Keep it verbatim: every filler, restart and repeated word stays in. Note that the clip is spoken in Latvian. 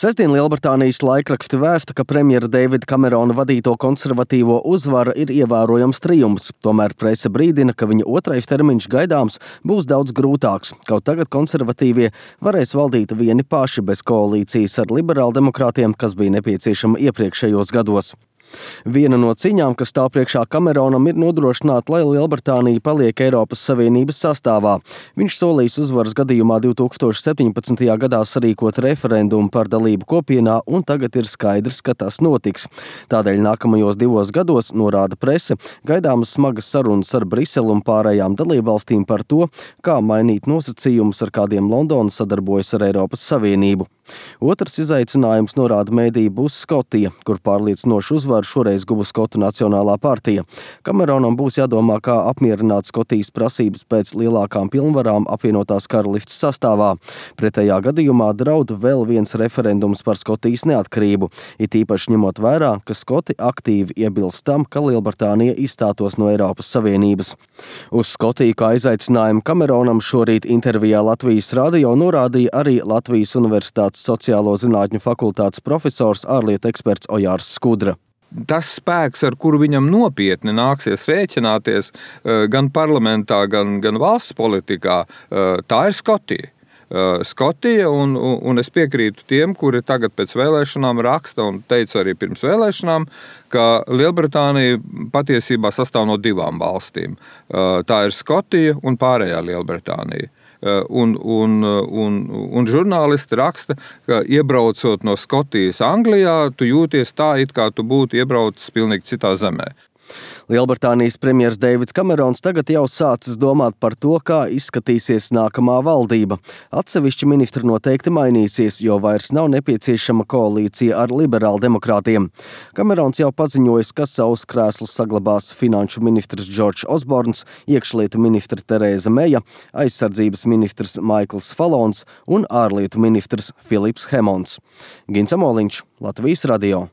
Sestdien Lielbritānijas laikraksti vēsta, ka premjera Deivida Kamerona vadīto konservatīvo uzvara ir ievērojams trijumfs. Tomēr prese brīdina, ka viņa otrais termiņš gaidāms būs daudz grūtāks. Kaut tagad konservatīvie varēs valdīt vieni paši bez koalīcijas ar liberāldemokrātiem, kas bija nepieciešama iepriekšējos gados. Viena no cīņām, kas stāv priekšā Kameronam, ir nodrošināt, lai Lielbritānija paliek Eiropas Savienības sastāvā. Viņš solīs uzvaras gadījumā divi tūkstoši septiņpadsmitajā gadā sarīkot referendumu par dalību kopienā, un tagad ir skaidrs, ka tas notiks. Tādēļ nākamajos divos gados, norāda prese, gaidāmas smagas sarunas ar Briseli un pārējām dalībvalstīm par to, kā mainīt nosacījumus, ar kādiem Londona sadarbojas ar Eiropas Savienību. Otrs izaicinājums, norāda mēdī, būs Skotija, kur pārliecinošu uzvaru šoreiz guva Skotu Nacionālā partija. Kameronam būs jādomā, kā apmierināt Skotijas prasības pēc lielākām pilnvarām apvienotās karalistes sastāvā. Pretējā gadījumā draud vēl viens referendums par Skotijas neatkarību, it īpaši ņemot vērā, ka Skoti aktīvi iebilst tam, ka Lielbritānija izstātos no Eiropas Savienības. Uz Skotiju kā izaicinājumu Kameronam šorīt intervijā Latvijas radio norādīja arī Latvijas Universitātes sociālo zinātņu fakultātes profesors, ārlietu eksperts Ojārs Skudra. Tas spēks, ar kuru viņam nopietni nāksies rēķināties gan parlamentā, gan, gan valsts politikā, tā ir Skotija. Skotija, un, un es piekrītu tiem, kuri tagad pēc vēlēšanām raksta un teica arī pirms vēlēšanām, ka Lielbritānija patiesībā sastāv no divām valstīm. Tā ir Skotija un pārējā Lielbritānija. Un, un, un, un žurnālisti raksta, ka iebraucot no Skotijas Anglijā, tu jūties tā, it kā tu būtu iebraucis pilnīgi citā zemē. Lielbritānijas premjers Deivids Kamerons tagad jau sācis domāt par to, kā izskatīsies nākamā valdība. Atsevišķi ministri noteikti mainīsies, jo vairs nav nepieciešama koalīcija ar liberāldemokrātiem. Kamerons jau paziņojis, ka savus krēslus saglabās finanšu ministrs Džordžs Osborns, iekšlietu ministra Terēza Meja, aizsardzības ministrs Maikls Falons un ārlietu ministrs Filips Hemons. Gins Amoliņš, Latvijas radio.